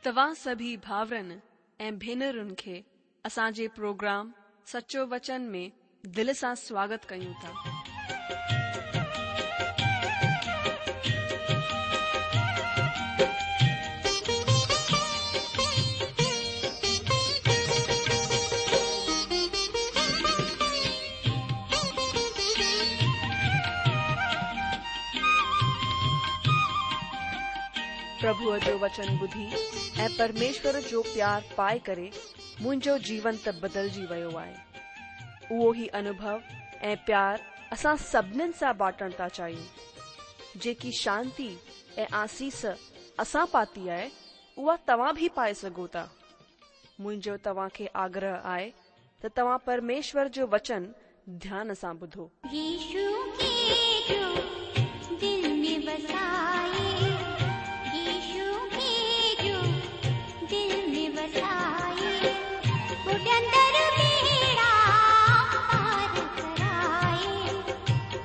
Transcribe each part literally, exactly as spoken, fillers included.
توهان سڀئي ڀائرن ۽ ڀينرن کي اسان جي پروگرام سچو وچن ۾ دل سان سواگت ڪيون ٿا. پرڀوءَ جو وچن ٻڌي ۽ پرميشور جو پيار پائي ڪري منهنجو جيون ته بدلجي ويو آهي. اهو ئي انوڀو ۽ پيار اسان سڀنين سان بانٽڻ ٿا چاهيون. جيڪي شانتي ۽ آسيس اسان پاتي آهي، اها توهان به پائي سگهو ٿا. منهنجو توهان کي آگرهه آهي ته توهان پرميشور جو وچن ڌيان سان ٻڌو. يشو کي جو دل ۾ وسائي، يشو کي جو دل ۾ وسائي، ٻڏندڙ ٻيڙا پار ڪرائي،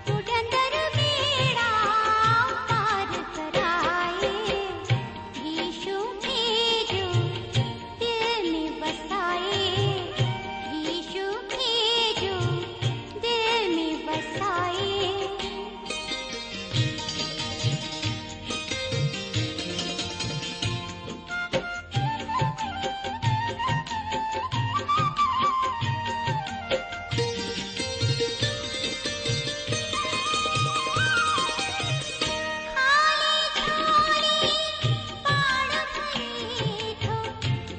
ٻڏندڙ ٻيڙا پار ڪرائي، يشو کي جو دل ۾ وسائي، يشو کي جو دل ۾ وسائي. خالي جهولي پاڻ ڀري ٿو،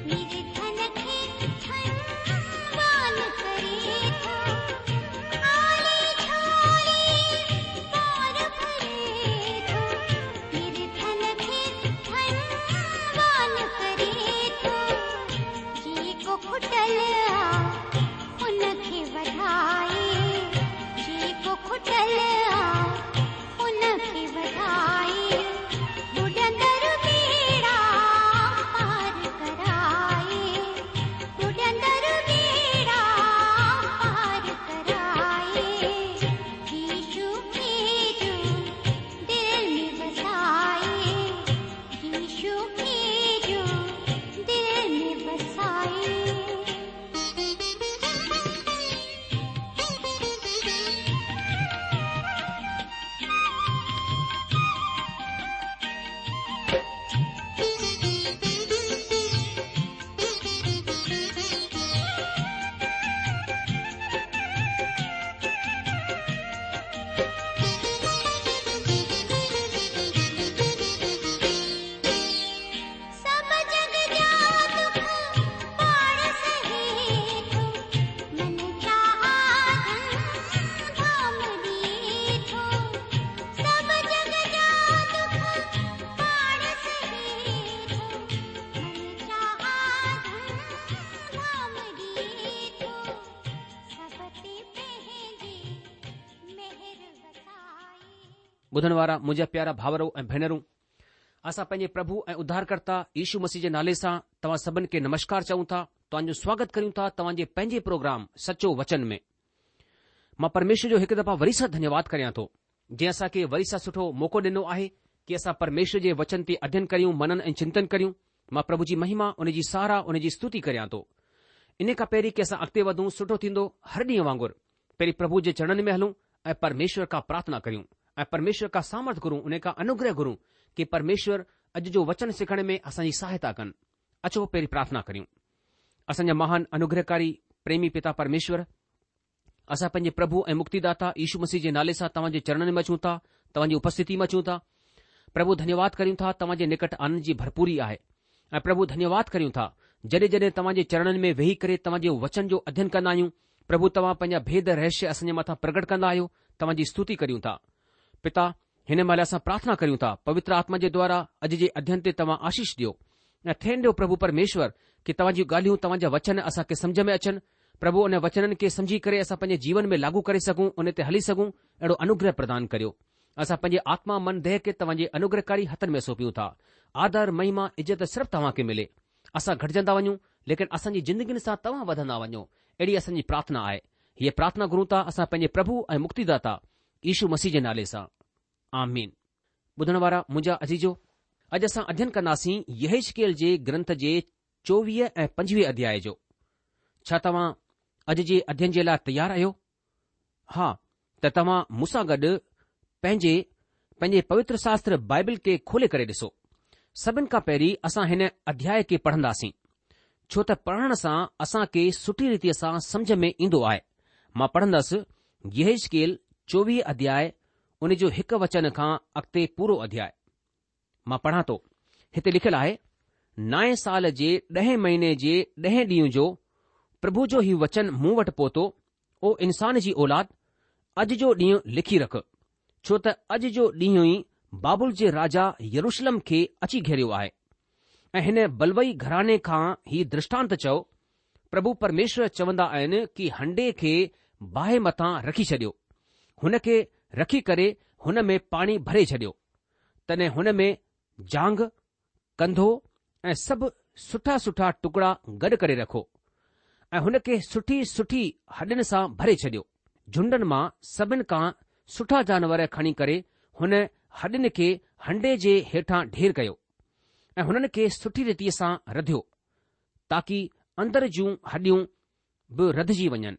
نرڌن کي ڌنوان ڪري ٿو. خالي جهولي پاڻ ڀري ٿو، نرڌن کي ڌنوان ڪري ٿو. جيڪو کٽل آ ان کي وڌائي، جيڪو کٽل آ ان کي وڌائي، ٻڏندڙ ٻيڙا پار ڪرائي، ٻڏندڙ ٻيڙا پار ڪرائي، يشو کي جو دل ۾ وسائي، يشو کي جو دل ۾ وسائي. سڀ جڳ جا دک پاڻ سهي ٿو، من چاها ڌن ڌام ڏئي ٿو. سڀ جڳ جا دک پاڻ سهي ٿو، من چاها ڌن ڌام ڏئي ٿو. سڀ تي پنهنجي مهر وسائي. ٻڌڻ وارا منهنجا پيارا ڀائرو ۽ ڀينرون، اسان پنهنجي پرڀو ۽ اڌارڪرتا يشو مسيح جي نالي سان توهان سڀن کي نمشڪار چئون ٿا، توهان جو سواگت ڪريون ٿا توهان جي پنهنجي پروگرام سچو وچن ۾. مان پرميشور جو هڪ دفعا وري سان ڌنيواد ڪريان ٿو، جنهن اسان کي وري سان سٺو موقعو ڏنو آهي ڪي اسان پرميشور جي وچن تي اڌين ڪريون، منن ۽ چنتن ڪريون. مان پرڀو جي مهما، ان جي ساراهه، ان جي استتي ڪريان ٿو. ان کان پهرين ڪي اسان اڳتي وڌون، سٺو ٿيندو هر ڏينهن وانگر پهرين پرڀو جي چرڻن ۾ هلون ۽ پرميشور کان پرارٿنا ڪريون ۽ پرميشور کان سامرٿ گهرون، ان کان انوگره گهرون ڪي پرميشور اڄ جو وچن سکڻ ۾ اسان جي سهائتا ڪن. اچو پهرين پرارٿنا ڪريون. اسان جا مهان انوگرهڪاري پريمي پتا پرميشور، اسان پنهنجي پرڀو ۽ مڪتيداتا يشو مسيح جي نالي سان توهان جي چرڻن ۾ اچون ٿا، توهان جي اپسٿتي ۾ اچون ٿا. پرڀو ڌنيواد ڪريون ٿا، توهان جي نڪٽ آنند جي ڀرپوري آهي. ۽ پرڀو ڌنيواد ڪريون ٿا، جڏهن جڏهن توهان جي چرڻن ۾ ويهي ڪري توهان جي وچن جو اڌين ڪندا آهيون، پرڀو توهان پنهنجا ڀيد رهسيه اسان جي مٿان پرگٽ ڪندا آهيو، توهان جي استتي ڪريون ٿا. پتا، هن مهل اسان پرارٿنا ڪريون ٿا، پوتر آتما جي دوارا اڄ جي اڌين تي توهان آشيش ڏيو ۽ ٿيڻ ڏيو پرڀو پرميشور ڪي توهان جون ڳالهيون، توهان جا وچن اسان کي سمجهه ۾ اچن. پرڀو ان وچنن کي سمجهي ڪري اسان پنهنجي جيون ۾ لاڳو ڪري سگهون، ان تي هلي سگهون، اهڙو انوگره پردان ڪريو. اسان پنهنجي آتما، من، ديهه کي توهان جي انوگرهڪاري هٿن ۾ سونپيون ٿا. آدر، مهما، عزت صرف توهان کي ملي. اسان گهٽجندا وڃون، ليڪن اسان جي زندگين سان توهان وڌندا وڃو، اهڙي اسان جي پرارٿنا آهي. هيء پرارٿنا گهرون ٿا اسان پنهنجي پرڀو ۽ مڪتيداتا يشو مسيح جي نالي سان. آمين. ٻڌڻ وارا منهنجا عزيزو، اڄ اسان اڌين ڪنداسين يحزقيل جي گرنٿ جي چوويهه ۽ پنجويهه اڌياء جو. ڇا توهان اڄ جي اڌين جي لاء تيار آهيو؟ ها ته توهان مون سان گڏ پنهنجي پنهنجي پوتر شاستر بائبل کي کولي ڪري ڏسو. سڀن کان پهرين اسان هن اڌياء کي پڙهنداسين، ڇو ته پڙهڻ سان اسان کي سٺي ريتيء سان سمجهه ۾ ايندو آهي. مان پڙهندس يحزقيل چوويهه اڌياء ان جو هڪ وچن کان اڳتي پورو اڌياء. مان پڙهان ٿو، هتي لکيل آهي، نائين سال جي ڏهين مهيني جي ڏهين ڏينهن جو پرڀو جو هي وچن مون وٽ پهتو، او انسان جي اولاد، اڄ جو ڏينهن لکي رک، ڇو ته اڄ جو ڏينهن ئي بابل جي راجا يروشلم کي اچي گهيريو آهي. ۽ هن بلوئي گهراڻي کان هي درشٽانت چئو، پرڀو پرميشور چوندا آهن ڪي هنڊي کي باهه مٿان رکي ڇڏيو، هن کي رکي ڪري هن ۾ پاڻي ڀري ڇڏيو. تڏهن هن ۾ جانگهه، ڪنڌو ۽ سڀ سٺا سٺا ٽڪڙا گڏ ڪري رکو ۽ هن کي سٺي سٺي هڏين سان ڀري ڇڏيو. جهنڊن مان سڀن کان سٺا جانور کڻي ڪري هن هڏين کي هنڊي جي هيٺان ڍير ڪيو ۽ هنن کي سٺي ريتيء سان رڌيو تاڪي اندر جون هڏيون به رڌجي وڃن.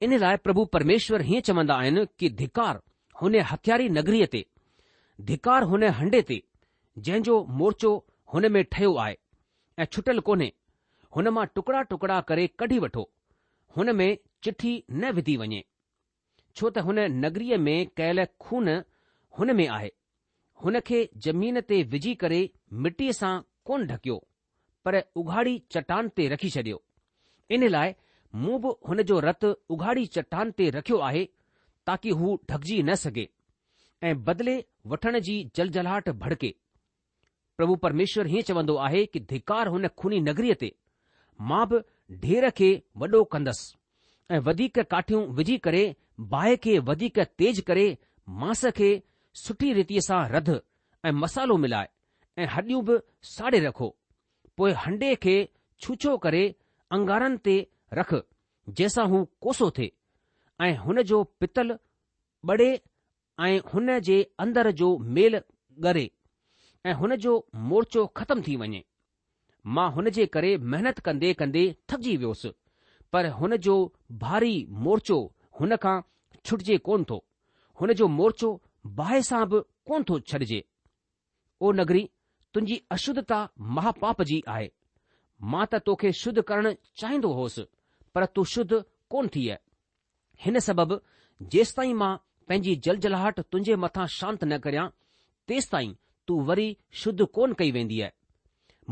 ان لاء پرڀو پرميشور هيئن چوندا آهن ڪي ڌڪار هن هتياري نگريء تي، ڌڪار هن هنڊي تي، جنهن جو مورچو هن ۾ ٺهيو آهي ۽ ڇٽل ڪونهي، هن مان ٽڪڙا ٽڪڙا ڪري ڪڍي وٺو، هن ۾ چٺي نه وڌي وڃي. ڇو ته هن نگريء ۾ ڪيل خون هن ۾ آهي، هن کي زمين تي وجهي ڪري مٽيء سان ڪونه ڍڪيو، پر اگهاڙي چٽان تي رکي ڇڏيو. ان لاء مون به هن جو رت اگهاڙي چٽان تي رکيو آهي تاڪي هو ڍڪجي نه سگهي ۽ بدلي وٺڻ جي جلجلاهٽ ڀڙڪي. پرڀو پرميشور هيئن چوندو آهي ڪي ڌڪار هن خوني نگريء تي، مان به ڍير کي وڏو ڪندس ۽ وڌيڪ ڪاٺيون وجهي ڪري باهه کي وڌيڪ تيز ڪري مانس کي سٺي ريتيء سان رڌ ۽ مصالحو ملاء ۽ هڏيون به ساڙي رکو. پوء هنڊي کي ڇوڇو ڪري انگارن تي رک جنهن سان هو ڪوسو ٿئي ۽ هن جو پتل ٻري ۽ هن جي اندر جو ميل ڳري ۽ هن جو مورچو ختم ٿي وڃي. مان هن جي ڪري محنت ڪندي ڪندي ٿڪجي ويوس، پر هن جو ڀاري مورچو هن کان ڇٽجي ڪونه ٿو، هن جو مورچو باهه سان به ڪونه ٿو ڇڏجي. او نگري، تنهنجي اشڌتا مهاپاپ جي آهي. مان ته توکي شڌ ڪرڻ چاهيندو هوس، پر تون شڌ ڪونه ٿيء. هن سبب جيستائين مان پنهنجي جلجلاهٽ تنهنجي مٿان شانت نه ڪريان، تيستائين تون وري شڌ ڪونه ڪئي وينديء.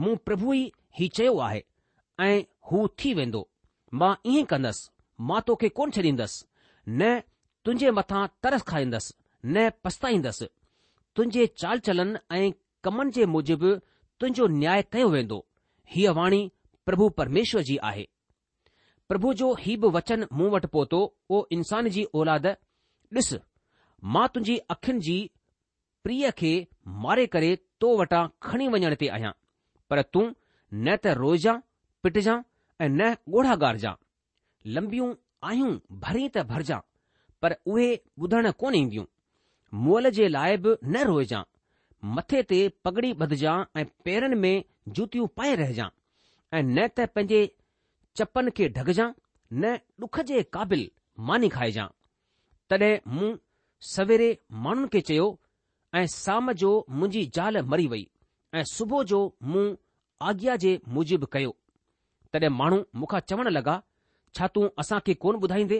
مون پرڀو ئي هي چيو آهي ۽ هو ٿي ويندو. مان ائين ڪندس، مان توکي ڪونه ڇڏيندس، نه تنهنجي مٿان ترس کائيندس، نه پڇتائيندس. تنهنجي چال چلن ۽ ڪمن جي موجب تنهنجو نياء ڪيو ويندو. هيء واڻي پرڀو پرميشور جي آهي. پرڀو جو هي به وچن مون وٽ پهتو، او انسان جي اولاد، ڏس، مان تنهنجي اکين جي پريء کي ماري ڪري تو وٽان کڻي وڃڻ تي آهيان، پر تون نه ته روئجان، پٽجان ۽ نه ڳوڙها ڳارجان. لمبيون آهون ڀرين ته ڀرجان، پر اهي ٻڌڻ ڪونه اينديون. مئل جي لاء به نه روئجان. مٿي تي پڳڙي ٻڌجان ۽ پيرن ۾ جوتيون پائي رهجان ۽ نه ته پنهنجي چپن کي ڍڪجان، نه ڏک جي قابل ماني کائجان. تڏهن مون سويري ماڻهن کي چيو ۽ سام جو منهنجي زال مري وئي ۽ صبح جو مون آگيا جي موجب ڪيو. تڏهن ماڻهو مون کان چوڻ لڳا، ڇا تون اسان کي ڪونه ٻڌائيندي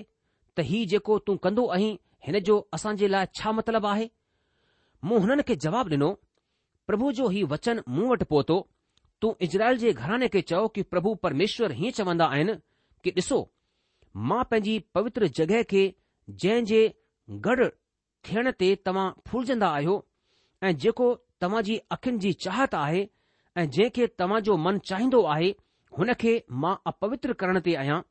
ته هي جيڪو تون ڪندو آهين هن جو اسان جي لاء ڇا مطلب آهي؟ مون هنن کي جواب ڏنو، پرڀو جو هي وچن مون وٽ پهتو، تون اسرائيل جي گهراڻي کي چئو ڪي پرڀو پرميشور هيئن چوندا آهن ڪي ڏسو، مان پنهنجي پوتر جڳهه کي جنهن جي گڏ ٿيڻ تي توهان ڦولجندا آهيو ۽ جيڪو توهان جي اکين جي چاهت آهي ۽ جنهن کي توهان جو من چاهيندو آهي هن کي مان اپوتر ڪرڻ تي آهيان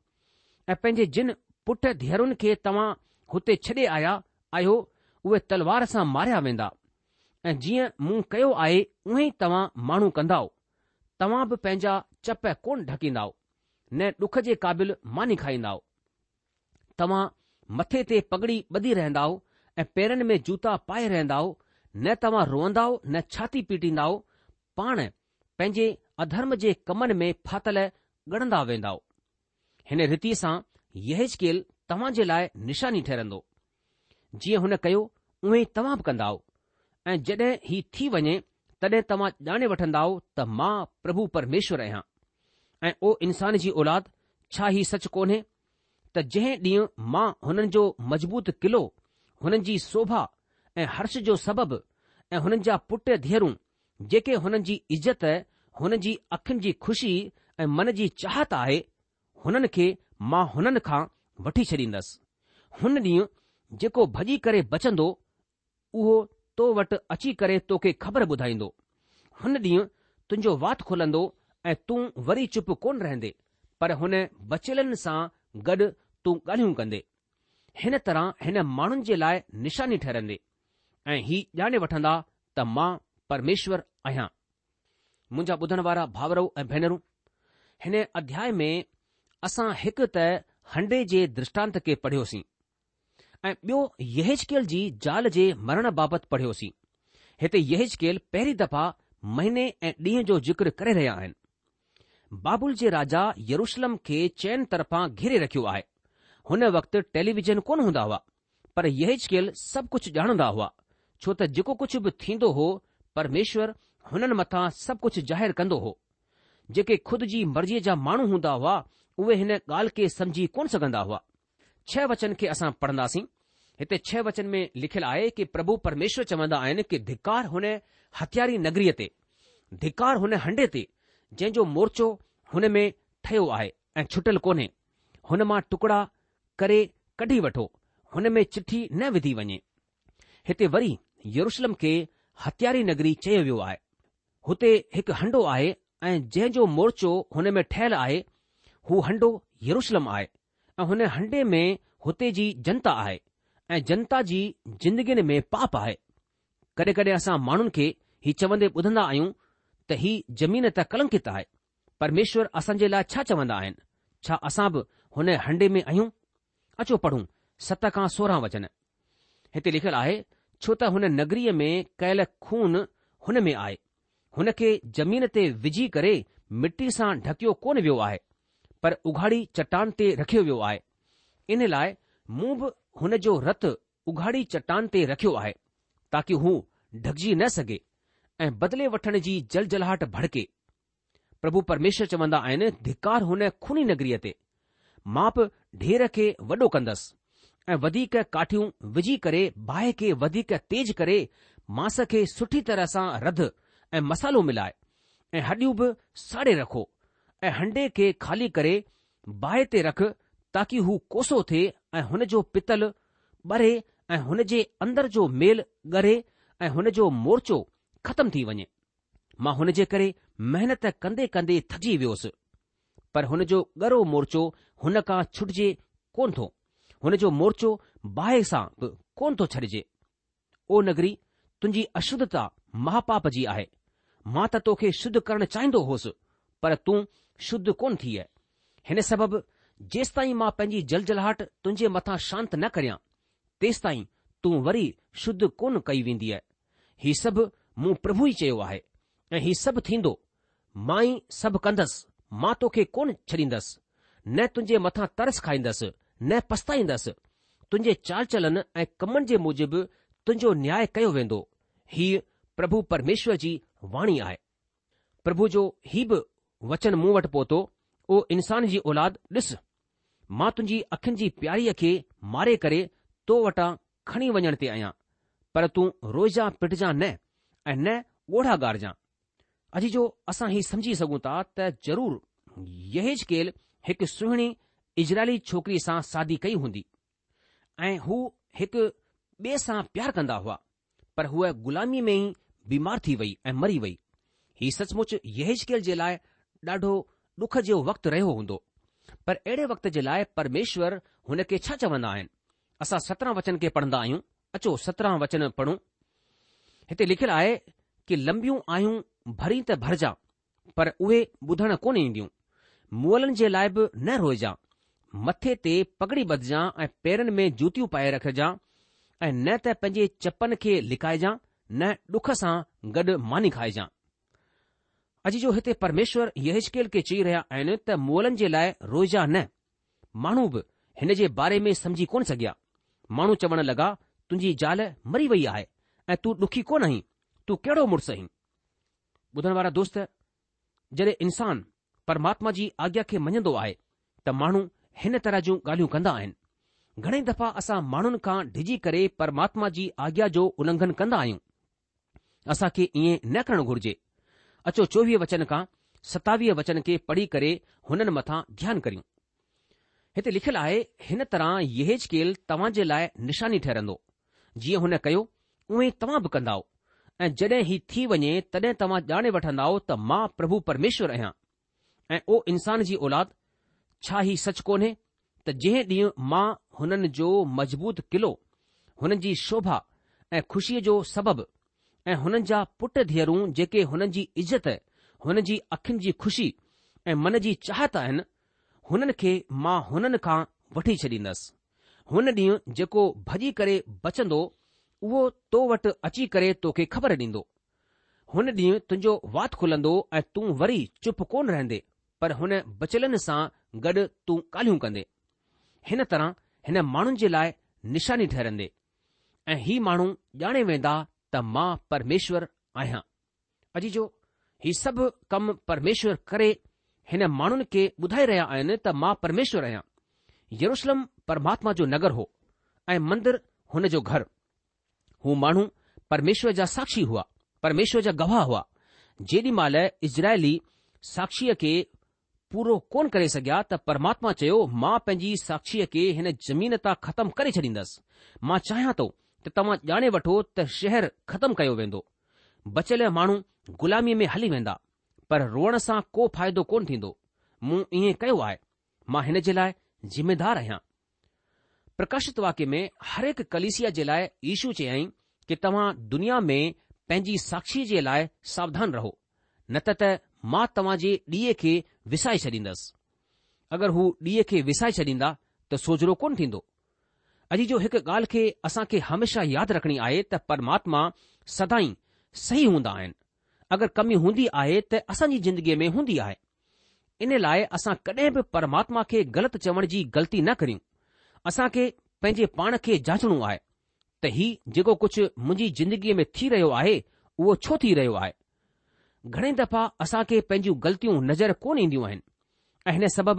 ۽ پنهنجي جن پٽ ڌيئرن کي توهان هتي ڇڏي آيا آهيو اهي تلوار سان ماريا ويندا ۽ جيئن مون ڪيو آهي اونهي ئي توهان ماڻهو ڪندائو توهان به پنهنجا چپ ڪونه ڍڪيندائو نه ڏک جي قابل ماني کائيندائو. توهان مٿي تي پڳڙي ٻڌي رهندائو ۽ پيرن ۾ جوتا پائي رهندائو، نه توهان روئندائو نه ڇاتي پيٽيندائو، پاڻ پنهنجي اڌرم جي ڪمن ۾ ڦاٿل ڳڙندا ويندائو. هن ريتيء سان يحزقيل توهان جي لاء نشاني ٺهرندو. جيئن هن ڪيو اونئن ئي توهان به ڪندائو ۽ جڏهن هي ٿي وڃي تڏهن توهان ڄاڻي وٺندائو ته مان پرڀو پرميشور آهيان. ۽ او انسان جي اولاد، ڇا هي سچ ڪونهي ته جنهن ڏينهن مان هنن جو مضبوط قلعو، هنن جي شوڀا ۽ هرش جو سبب ۽ هنن جا پٽ ڌيئرون، جيڪي هنن جي عزت، هنن جي اکين جي خوشي ۽ من جي چاهت آهي، هنن کي مان هنن کان وٺي ڇڏيندس. هن ڏينهن جيڪو ڀڄي ڪري بچندو، اهو تو وٽ اچي ڪري توکي خبر ٻڌائيندو. هن ڏينهن تنهنجو وات کلندو ۽ تون وري چپ ڪونه رهندي، پر هن بچيلن سان گڏ تون ڳالهيون ڪندي. هن طرح هن ماڻهن جي لاء نشاني ٺهرندي ۽ هي ڄاڻي وٺندا ته مان پرميشور آهيان. منهنجا ٻڌڻ وارا ڀائرو ۽ ڀينرون، هن اڌياء ۾ اسان هڪ ته هنڊي جي درشٽانت کي پڙهيوسين ۽ ٻيو يحزقيل جي زال جي مرڻ بابت پڙهيوسين. هتي يحزقيل پهرين دفعا مهيني ۽ ڏينهن جو ذڪر ڪري رهيا آهن. بابل جي راجا يروشلم کي چئن طرفان گهيري رکيو آهي. هن وقت ٽيليويزن ڪونه هوندا هئا، پر يحزقيل سڀ ڪجهه ڄاڻندا هئا، ڇو ته جيڪو ڪجهه به ٿيندو هو، پرميشور هنن مٿان سڀ ڪجهه ظاهر ڪندو هو. جيڪي خود جي مرضيء جا ماڻهو هوندا هئا، اهي هن ڳالهه کي سمجهي ڪونه سگهندا هئا. ڇهه وچن کي اسان پڙهنداسين. هتي ڇهه وچن ۾ لکيل آهي ڪي پرڀو پرميشور چوندا آهن ڪي ڌڪار هن هتياري نگريء تي، ڌڪار هن هنڊي تي، جنهن جو مورچو هن ۾ ٺهيو آهي ۽ ڇٽل ڪونهي. هن مان ٽڪڙا ڪري ڪڍي وٺو، هن ۾ چٺي نه وڌي وڃي. هتي وري يروشلم کي هتياري نگري چيو ويو آهي. هتي هڪ هنڊو آهي ۽ جنهن جو مورچو هن ۾ ٺهيل آهي، هو هنڊو يروشلم آهي ۽ هن هنڊي ۾ هتي جي جنتا آهي ۽ جنتا جي زندگين ۾ پاپ آهي. ڪڏهن ڪڏهن اسان ماڻهن کي هي چوندي ٻڌندا آهيون ته هي زمين ته ڪلنڪت آهي. پرميشور اسان جي لاء ڇا چوندا آهن؟ ڇا اسان به هن هنڊي ۾ آهيون؟ اچو پڙهون ست کان سورهن وچن. هتي لکيل آهي، ڇو ته هن نگريء ۾ ڪيل خون هن ۾ آهي. هن کي زمين تي وجهي ڪري مٽي سان ڍڪيو ڪونه ويو آهي، پر اگهاڙي چٽان تي رکيو ويو آهي. ان لاء مون به هن جو رت اگهاڙي چٽان تي رکيو آهي، تاڪي هو ڍڪجي نه سگهي ۽ بدلي وٺڻ جي جلجلاهٽ ڀڙڪي. پرڀو پرميشور چوندا آهن، ڌڪار هن خوني نگريء تي. مان به ڍير کي وڏو ڪندس ۽ وڌيڪ ڪاٺيون وجهي ڪري باهه کي وڌيڪ تيز ڪري مانس کي سٺي طرح سان رڌ ۽ مصالحو ملاء ۽ هڏيون به ساڙي رکو ۽ هنڊي کي خالي ڪري باهه تي رک تاڪي هو ڪوسو ٿئي ۽ هن جو پتل ٻري ۽ هن جي اندر جو ميل ڳري ۽ هن جو مورچو ختم ٿي وڃي. مان هن جي ڪري محنت ڪندي ڪندي ٿڪجي ويوس، پر هن جو ڳرو مورچو هن کان ڇٽجي ڪونه ٿو، هن جو مورچو باهه سان به ڪونه ٿو ڇڏجي. او نگري، تنهنجي اشڌتا مهاپاپ جي آهي. مان ته توکي شڌ ڪرڻ چاهيندو هوس، پر تون شڌ ڪونه ٿيء. هن سبب جيستائين مان پنهنجي جلجلاهٽ تنهنجي مٿان شانت نه ڪريان، تيستائين تون وري شڌ ڪونه ڪئي وينديء. هي سڀ مون پرڀو ئي چيو آهي ۽ هي سڀ ٿيندو، مان ئي سڀ ڪندس، مان توکي ڪونه ڇڏيندس، نه تنهنجي مٿان ترس کائيندس، نه پڇتائيندس. تنهنجي چال چلن ۽ ڪمن جي موجب تنهنجو نياء ڪيو ويندو. هيء پرڀو پرميشور جي واڻي آهي. پرڀو جو هي به وچن مون وٽ پهتو، او انسان جي اولاد، ڏس، مان تنهنجي اکين جي پياريء کي ماري ڪري تو وٽان کڻي وڃڻ تي آهيان، پر تون روئجان پٽجان نه ۽ نه ڳوڙها ڳارجان. عزيزو، اسان هي سمجهي سگهون ٿا ته ضرور يحيزڪيل هڪ سهڻي اسرائيلي ڇوڪري سان شادي ڪئي هوندي ۽ هو هڪ ٻئي سان پيار ڪندا هئا، پر هوء غلاميء ۾ ئي بيمار ٿي وئي ۽ مري وئي. هي سچ مچ يحيزڪيل جي لاء ڏاڍو ڏک جو وقت رهيو هوندو. پر اهڙي وقت جي لاء پرميشور هن کي ڇا چوندا آهن؟ اسان سترهن وچن کي پڙهندا آهيون. اچو سترهن وچن پڙهون. هتي لکيل آهي ڪي لمبيون آهون ڀرين ته ڀرجان، پر اهي ٻڌڻ ڪونه اينديون. مئلن جي لاء به نه روئجان. مٿي تي پڳڙي ٻڌجان ۽ پيرن ۾ جوتيون پائي رکجان ۽ نه ته پنهنجي چپن کي لڪائجان نه ڏک سان گڏ ماني کائجان. عزيزو هتي پرميشور يحزقيل کي چئي رهيا آهن ته مئلن جي لاء روئجان نه. ماڻهو به هن جي باري ۾ سمجهي ڪونه سگهيا. ماڻهو چوڻ لڳا تنهنجي زال مري وئي آهي ۽ تون ڏکي ڪونه آهين، تون ڪهڙو مڙس آهين؟ ٻڌڻ وارا دوست، جڏهن انسان پرماتما جي آگيا کي مڃندو آهي ته ماڻهو هن طرح جون ڳالهيون ڪندا آهن. گهڻي دفعا اسان ماڻهن کان ڊڄي ڪري پرماتما جي آگيا جو النگهن ڪندا آهيون. اسان کي ائين نه ڪرڻ گهرجي. اچو چوويهه وچن کان ستاويهه وچن کي پڙهي ڪري هنن مٿان ڌيان ڪريون. هتي لکيل آهي، هن طرح يحزقيل توهان جي لاء نشاني ٺهرندو. جيئن هن ڪيو، اونئين توهان به ڪندائو. ۽ جڏهن هي ٿي وڃي تڏهن توهان ڄاڻي وٺندائو ته مان پرڀو پرميشور آهيان. ۽ او انسان جي اولاد، ڇا هي سچ ڪونهي ته جنهن ڏينهن مان هنن جو مضبوط قلعو، هنن جي شوڀا ۽ خوشيء جو سبب ۽ هنن جا پٽ ڌيئرون جيڪي هنن جي عزت، هنن جي اکين جي خوشي ۽ من جي چاهت آهن، هنن کي مان هنن کان وٺي ڇڏيندس. هن ڏينهن جيڪو ڀڄي ڪري بچندو، اهو تو وٽ اچي ڪري توکي خبر ڏيندو. هن ڏينهن تنهنجو وات کلندو ۽ تون وري چپ ڪونه رهندي، پر هن بچيلن سان گڏ تون ڳالهيون ڪندي. هن طرح هن ماڻهن جي لاء نشاني ٺهرندي ۽ هي ماڻهو ڄاڻي ويندا ته مان پرميشور آهيان. عزيزو، هي سڀ ڪم پرميشور ڪري هن ماڻهن کي ٻڌائي رهيا آهن ته مان پرميشور آهيان. يروشلم پرماتما جو نگر هو ۽ مندر هن جو گهر. هو ماڻهو پرميشور جا ساکشي هئا، پرميشور جا گواهه هئا. جيڏي مهل اسرائيلي ساکشيء کي پورو ڪونه ڪري سگهيا ته پرماتما چيو، مان پنهنجي ساکشيء کي هن زمين تان ختم ڪري ڇڏيندس. مان چاهيان ٿو ته توهان ڄاڻي وٺو ته شهر ختم ڪيو ويندو. بچيل ماڻهو غلاميء ۾ هلي ويندا، پر روئڻ سان ڪو فائدو ڪونه ٿيندو. مون ائين ڪيو آهي. مان هن جي لاء ذميدار آهيان. پرڪاشت واڪيه ۾ هر هڪ ڪليسيا جي لاء يشو چيائين ڪي توهان دنيا ۾ پنهنجي ساکشيء جي لاء ساوڌان رهو، نه ته ته مان توهان جي ڏيئي کي وسائي ڇڏيندس. اگر هو ڏيئي کي وسائي ڇڏيندا ته سوجهرو ڪونه ٿيندو. عزيزو هڪ ڳالهه کي اسان کي هميشه ياد رکڻي آهي ته پرماتما سدائين صحيح هوندا آهن. اگر ڪمي هوندي آهي ته اسان جي زندگيء ۾ هوندي آهي. ان لاء اسان ڪڏهن به پرماتما کي غلط چوڻ جي غلطي نه ڪريون. اسان کي پنهنجي پاڻ کي جانچڻو آهي ته هي جيڪو ڪجهه منهنجي زندگيء ۾ ٿي رهيو آهي اهو ڇو ٿي رهيو آهي. گهڻي دفعا اسان کي پنهنجون غلطيون نظر ڪونه اينديون آهن ۽ هن سبب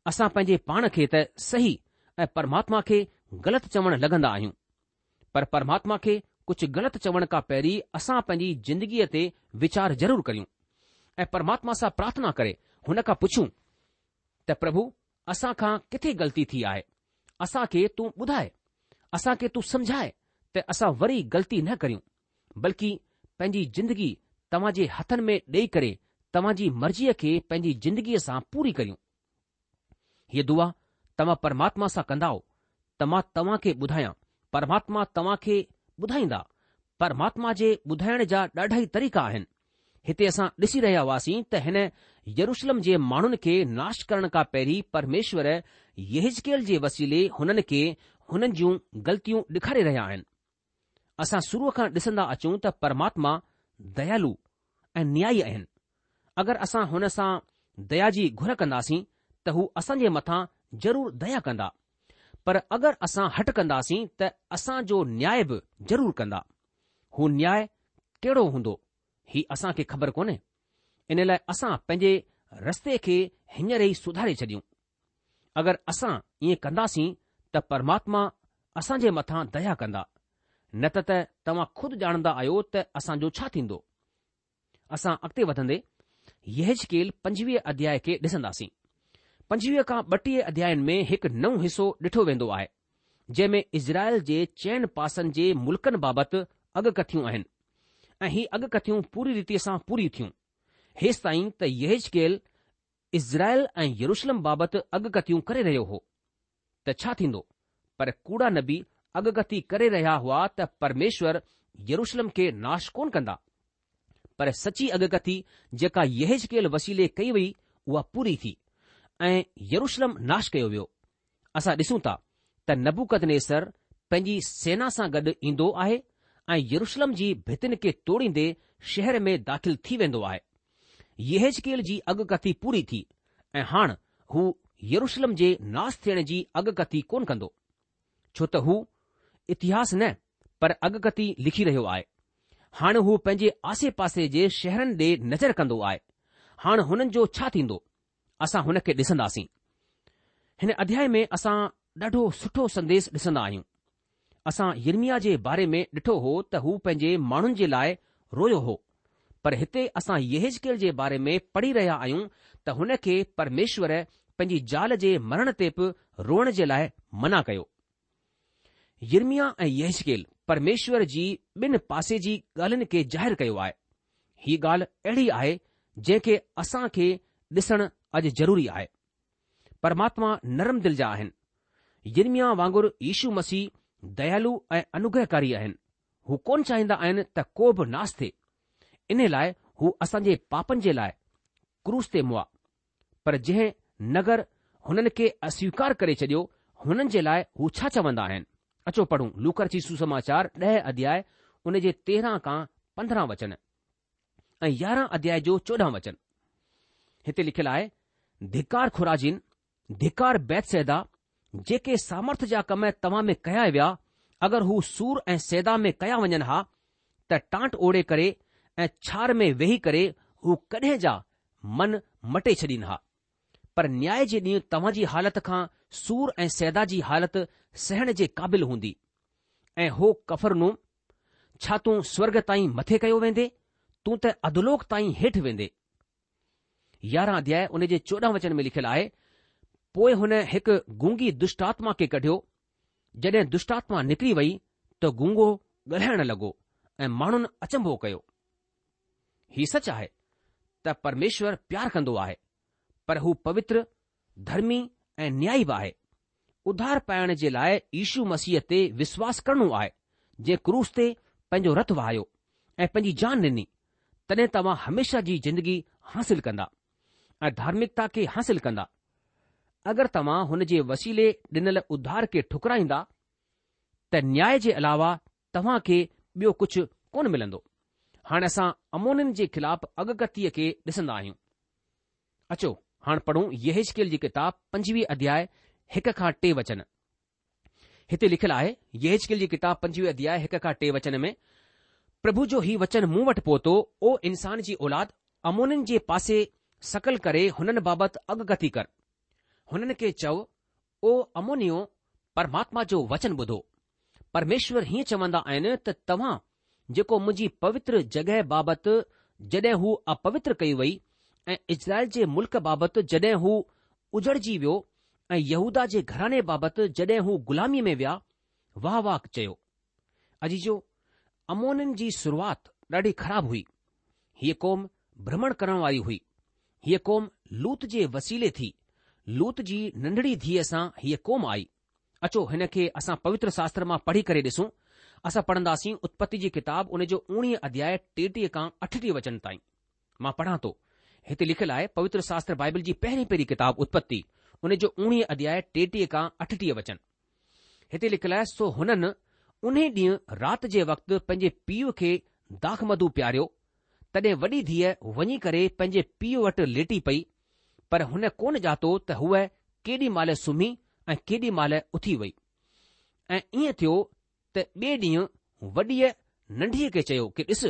اسان پنهنجي پاڻ کي ته صحيح ۽ پرماتما کي غلط چوڻ لڳندا آهيون. پر پرماتما کي ڪجهه غلط چوڻ کان پهرين اسان پنهنجي زندگيء تي ويچار ضرور ڪريون ۽ پرماتما سان پرارٿنا ڪري هن کان پڇون ته پرڀو اسان کان ڪٿي غلطي ٿي آهي، اسان کي تون ٻڌاء، اسان کي تون سمجهاء ته اسان وري غلطي نه ڪريون، بلڪه پنهنجي زندگي توهان جي هٿن ۾ ڏيئي ڪري توهان جي مرضيء کي پنهنجي زندگيء سان پوري ڪريون. هيء دعا توهان پرماتما سان ڪندائو ته مان توهان کي ٻڌايان، پرماتما توهان کي ٻڌائيندا. پرماتما جي ٻڌائڻ جا ڏاڍا ئي طريقا آهن. هتي اسان ڏسي رهيا هئاسين ته هن يروشلم جي ماڻهن کي ناش ڪرڻ کان پهرين پرميشور يحزقيل جي وسيلي هنن کي هنن جون غلطيون ڏيکاري رهيا آهن. اسان شروع کان ڏسندا اچون ته پرماتما ديالو ۽ نيائي آهن. اگر اسان هن سان ديا جي گهر ڪنداسين ته هو اسان جي مٿان ضرور ديا ڪندا. پر اگر اسان هٺ ڪنداسين ته اسان جو نياء به ضرور ڪندا. هو نياء ڪهڙو هوندو هي اسان کي خبر ڪونهي. ان لاء اسان پنهنجي رستي کي هينئر ئي سڌاري ڇڏيون. اگر اسان ائين ڪنداسين ته پرماتما اسان جي مٿان ديا ڪندا. نه ته ته توهان خود ڄاڻندا آهيو ته اسان جو ڇا ٿيندو. اسان اڳتي وڌندي يحزقيل پنجويهه اڌياء کي ڏسنداسين. پنجويهه کان ٻٽيهه اڌيائن ۾ هڪ نئون حصو ڏٺو ويندو آهي، جنهن ۾ اسرائيل جي چئن پاسن جي ملڪن بابت اڳڪٿيون آهن ۽ هي اڳڪٿيون پوري ريتيء سان پوري ٿيون، هيستائين ته يحزقيل اسرائيل ۽ يروشلم بابت اڳڪٿيون ڪري رهيو هو ته ڇا ٿيندو، پر ڪوڙا نبي اڳڪٿي ڪري رهيا هئا ته پرميشور يروشلم کي ناش ڪونه ڪندا. پر سچي اڳڪٿي جيڪا يحزقيل وسيلي ڪئي وئي اها پوري ٿي ۽ يروشلم ناش ڪيو ويو. اسان ڏسون ٿا ته نبوڪدنيسر پنهنجي سينا سان گڏ ايندو آهي ۽ يروشلم جي ڀتين کي توڙيندي شهر ۾ داخل ٿي ويندو آهي. يحزقيل جي اڳڪٿي پوري ٿي ۽ هاڻ هو يروشلم جي ناس ٿيڻ جي اڳڪٿي ڪونه ڪندو، ڇو ته هو اتهاس نه پر اڳڪٿي لکي رهيو آهي. هاڻ هو پنهنجي آسي پاسي جي شهرن ڏي نظر ڪندو آهي. هاڻ هنن جو ڇا ٿيندو؟ اسان هن کي ڏسنداسين. هن اڌياء ۾ اسان ڏاڍو سٺو سنديش ڏسندا آهيون. اسان يرمياه جي باري ۾ ڏٺو هو ته هو پنهنجي ماڻهن جي لاء رويو هو، پر هتي اسان يحزقيل جي باري ۾ پڙهي رهيا آهيون ته هن کي پرميشور پنهنجي زال جي مرڻ تي به روئڻ جي لاء منع ڪيو. يرمياه ۽ يحزقيل پرميشور جي ٻن پاسي جي ڳالهين کي ظاهر ڪيو آهي. هي ڳالهه اهڙي آهي جنهن کي اسان کي ڏسڻ اڄ ضروري آهي. پرماتما نرم دل جا آهن. يرمياه وانگر يشو مسيح ديالو ۽ انوگرهڪاري آهن. هو ڪونه چاهيندا آهن ته ڪو به ناس ٿئي. ان لاء هو اسان جي پاپن جي لاء ڪروس تي مئا. پر جنهن نگر هنن کي اسويڪار ڪري ڇڏيو، هنن جي لاء هو ڇا چوندا آهن؟ اچو پڙهون لوڪا رچت سوسماچار ڏهه اڌياء ان جي تيرهن کان پندرهن وچن ۽ يارهن اڌياء جو چوڏهن وچن. هتي لکيل آهي، ڌڪار خورازين، ڌڪار بيتصيدا، جيڪي سامرٿ جا ڪم توهان ۾ ڪيا ويا، اگر هو سور ۽ صيدا ۾ ڪيا وڃن ها، ته ٽانٽ اوڙهي ڪري ۽ ڇار ۾ ويهي ڪري هو ڪڏهن جا من مٽي ڇڏين ها. پر نياء جي ڏينهن توهان جي حالت کان سور ۽ صيدا جي حالت سهڻ جي قابل هوندي. ۽ هو ڪفرنوم، ڇا تون سورڳ تائين مٿي ڪيو ويندي؟ تون ته اڌولوڪ تائين هيٺ ويندي. يارهن اڌياء ان جي چوڏهن وچن ۾ لکيل آهي، پوء هن هڪ گونگي دشٽآتما کي ڪڍيو. جڏهن دشٽآتما نڪري وئي ته گونگو ڳالهائڻ لڳو ۽ ماڻهن اچنڀو ڪيو. هي سچ آهي ته پرميشور پيار ڪندو آهي، پر هو پوتر، ڌرمي ۽ نيائي به آهي. اڌار پائڻ جي لاء يشو مسيح تي وشواس ڪرڻو آهي، جنهن ڪروس تي پنهنجو رت وهايو ۽ پنهنجي جان ڏني، تڏهن توهان هميشه جي زندگي حاصل ڪندا ۽ ڌارمڪتا کي حاصل ڪندا. اگر توهان هن جي وسيلي ڏنل اڌار کي ٺڪرائيندا ته نياء جي علاوه توهان کي ٻيو ڪجهه ڪونه ملندو. هاڻي اسان عمونين جي خلاف اڳڪٿيء کي ڏسندا آهيون. اچو هاڻ پڙهون يحزقيل جي ڪتاب پنجويهه اڌياء هڪ کان ٽي وچن. هتي لکيل آهي، يحزقيل جي ڪتاب پنجويهه اڌياء هڪ کان ٽي وچن ۾، پرڀو جو هي وچن مون وٽ پهتو، او انسان جي اولاد، عمونين جي پاسي شڪل ڪري هنن بابت اڳڪٿي ڪر. هنن کي چئو، او عمونيو، پرماتما جو وچن ٻڌو. پرميشور هيئن چوندا آهن ته توهان جيڪو منهنجي پوتر جڳهه بابت جڏهن هو اپوتر ڪئي وئي ۽ اسرائيل جي ملڪ بابت جڏهن هو اجڙجي ويو ۽ يهوداه جي گهراڻي بابت جڏهن هو غلاميء ۾ ويا، واهه واهه چيو. عزيزو! عمونين جي شروعات ڏاڍي خراب هئي. هيء قوم ڀرمڻ ڪرڻ واري هئي. هيء قوم لوط جي وسيلي ٿي. لوط جي ننڍڙي ڌيء سان هيء قوم آئي. اچو هن کي اسان پوتر شاستر مان پڙهي ڪري ڏسون. اسان پڙهنداسين اتپتي جي ڪتاب ان جو اوڻيهه اڌياء ٽيٽيهه کان اٺٽيهه وچن تائين. مان پڙهان ٿو. هتي لکيل آهي پوتر شاستر بائبل جي پهرين پهرين ڪتاب اتپتي ان جو اوڻيهه اڌياء ٽيٽيهه کان اٺٽيهه وچن. هتي لکيل آهي سو هنن انهي ڏينهن رات جي وقت پنهنجي پيء کي داخمڌو پياريو، تڏهن وڏي ڌيء وڃي ڪري پنهنجي پيء وٽ ليٽي پئي، پر هن ڪونه ڄاتو ته هوء ڪيڏي مهل سمهي ۽ ڪيڏي مهل اٿي وئي. ۽ ائين ٿيو ته ٻئي ڏينهن وڏيء ننڍيء کي چيو ڪي ڏس،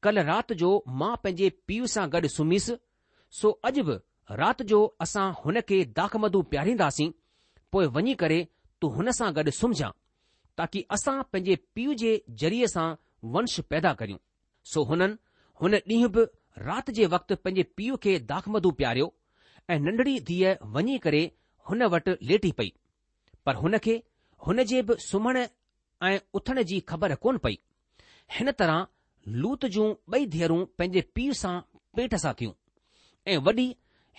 ڪلهه رات جو مان پنهنجي پيء سان گڏ سمهيس، سو اڄ به رات جو اسان هن کي داخمڌو پيارينداسين، پوء وڃي ڪري تون هن سان گڏ سمهجان، تاڪي اسان پنهنجي پيء جي ذريعي سان ونش پيدا ڪريون. سو هنن هن ڏينهن به رات جي وقت پنهنجي پيء کي داخمڌو پياريو ۽ ننڍڙي ڌيء وڃي ڪري هن وٽ ليٽي پئي، پر هن کي هن جي به سمهڻ ۽ اٿڻ جي خبر ڪونه پئي. هن طرح لوط جون ٻئي ڌيئرون پنهنجي پيء سان پيٽ سان ٿيون ۽ وڏي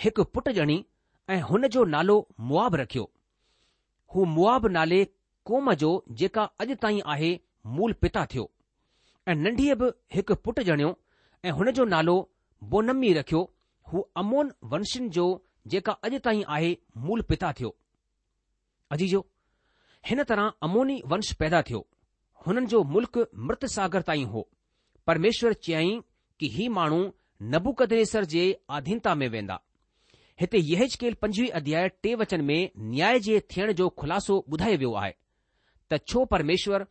هڪ پٽ ڄڻي ۽ هن جو نالو موآب رکيو. هو موآب نالي قوم جو جيڪا اڄ تائين آهي مول پتا ٿيو. ۽ ننڍيء به هڪ پٽ ڄڻيو ۽ هن جو نالو بونعمي رکيو، هو عمون ونشين جو جيڪا اڄ تائين آهي مول پتا ٿيو. عزيزو! هن طرح عموني ونش پيدا ٿيو. هنن جو ملڪ مرت ساگر تائين هو. پرميشور چيائين ڪي هي ماڻهو نبوڪدنيسر جي آڌينتا ۾ ويندا. هتي يحزقيل پنجويهه اڌياء ٽي وچن ۾ نياء جي ٿيڻ جو خلاصو ٻڌايو ويو آهي ته ڇو پرميشور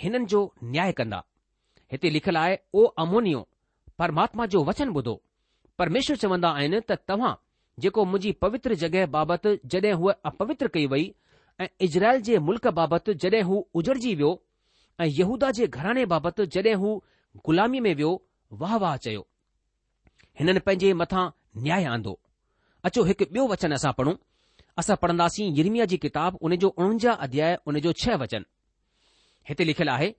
هنن جو نياء ڪندا. هتي لکيل آهي، او عمونيو، پرماتما جو وچن ٻڌو. پرميشور چوندا آهن ته توهان جيڪو منهنجي پوتر جڳهه بابت جڏهن هوء اپوتر ڪئي وئي ۽ اسرائيل جي ملڪ بابت جڏهن هو اجڙجي ويو ۽ يهودا جي گهراڻي بابت جڏهن هو غلاميء ۾ ويو، واهه واهه چيو. هنن پنهنجي مٿان نياء آندو. اچو هڪ ٻيو وچن اسان پڙهون. اسان پڙهنداسين يرمياه جي ڪتاب ان جو اڻونجاهه اڌياء ان جو ڇهه وچن. هتي لکيل آهي،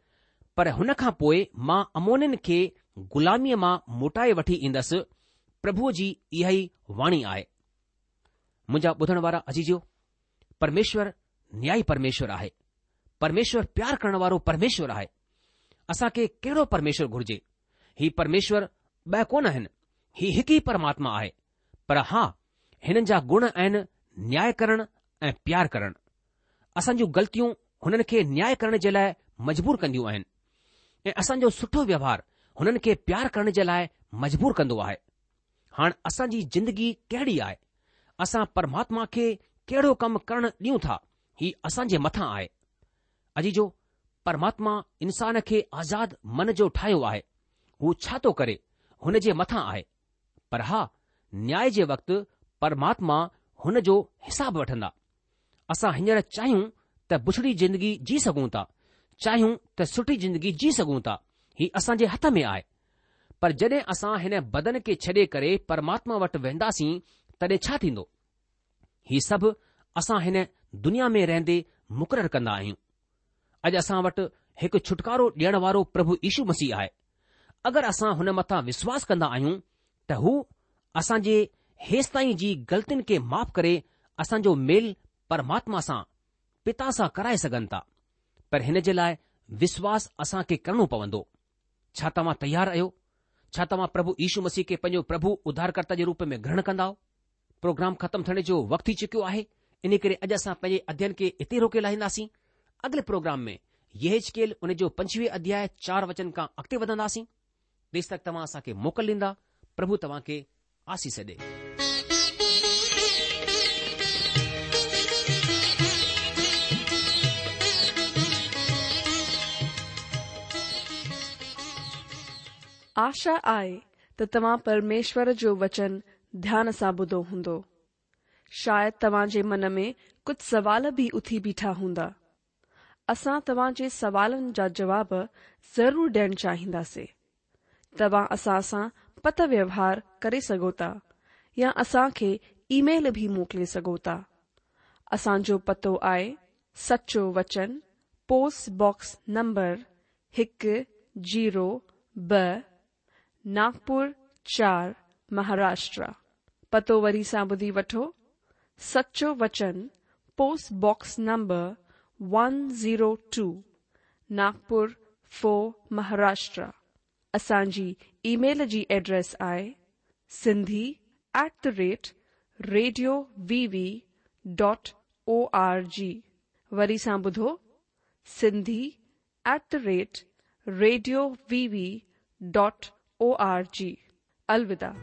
پر هن کان پوء مان عمونين کي غلاميء مان موٽائي وٺي ايندس، پرڀوء جي اها ئي واڻي آهي. منهنجا ٻڌڻ وارا عزيزو، پرميشور نيائي پرميشور آهي. پرميشور پيار ڪرڻ وارو پرميشور آهي. اسان کي ڪهڙو پرميشور گهرجي؟ هي پرميشور ٻه ڪونه آهن، هي هڪ ئي پرماتما آهي. پر ها، هنن جا گڻ آهن نياء ڪرڻ ۽ پيار ڪرڻ. اسان جون غلطيون هنن کي نياء ڪرڻ جي لاء مجبور ڪنديون آهن ۽ اسان جو سٺو ويوهار هنن کي پيار ڪرڻ جي لاء مجبور ڪندو آهي. هاڻ اسان جي زندگي ڪهڙي آهي؟ اسان پرماتما کي ڪهڙو ڪم ڪرڻ ڏيون ٿا؟ هي اسان جي مٿان آهي. عزيزو، پرماتما انسان کي آزاد من جو ٺاهيو آهي. هو ڇا ٿو ڪري، هن جي مٿان آهي. پر ها، نياء جي وقت پرماتما هن جو حساب وٺندا. اسان هينئر چاهيون ته بڇڙي زندگي جي سگهون ٿا، چاهيون ته سٺي زندگي جي سگهون ٿا، هي اسان جي هٿ ۾ آهي. پر جڏهن اسان هن بدن کي ڇڏي ڪري پرماتما وٽ وينداسين تڏهن ڇا ٿيندو؟ هي سڀ اسان هن دنيا ۾ رهندي مقرر ڪندا آهيون. اڄ اسان وٽ هڪ ڇوٽڪارو ڏيڻ وارو پرڀو يشو مسيح آهي. اگر اسان هن مٿان وشواس ڪندا آهيون ته هو اسان جي هيستائين جي غلطين کي معاف ڪري اسان جو ميل پرماتما سان، پتا سان ڪرائي سگهن ٿا. پر هن جي لاء وشواس اسان کي ڪرڻو پوندو. ڇا توهان تيار آهيو؟ ڇا توهان پرڀو يشو مسيح کي پنهنجو پرڀو اڌارڪرتا جي روپ ۾ گرهڻ ڪندائو؟ پروگرام ختم ٿيڻ جو وقت ٿي چڪيو آهي، ان ڪري اڄ اسان پنهنجي اڌيين کي اتي روڪي لاهينداسين. اڳلي پروگرام ۾ يحزقيل ان جو پنجويهه اڌياء چار وچن کان اڳتي وڌنداسين. تيس تڪ توهان اسان کي موڪل ڏيندا. پرڀو توهان کي آسيس ڏي. آشا آهي ته توهان پرميشور جو وچن ڌيان سان ٻڌو هوندو. شايد توهان جي من ۾ ڪجهه سوال به اٿي بيٺا هوندا. اسان توهان جي سوالن جا جواب ضرور ڏيڻ چاهينداسين. توهان اسان سان پتر ويوهار ڪري سگهو ٿا يا اسان کي اي ميل به موڪلي سگهو ٿا. اسان جو پتو آهي سچو وچن، پوسٽ باڪس نمبر هڪ زيرو ٻه، ناگپور چار، مهاراشٽر. پتو وري سان ٻڌي وٺو، سچو وچن، post box number one zero two, Nagpur four, Maharashtra. اسان جي اي ميل جي ايڊريس آهي Sindhi at the rate radio V V dot O R G. وري سان ٻڌو، Sindhi at the rate radio V V dot O R G. الوداع.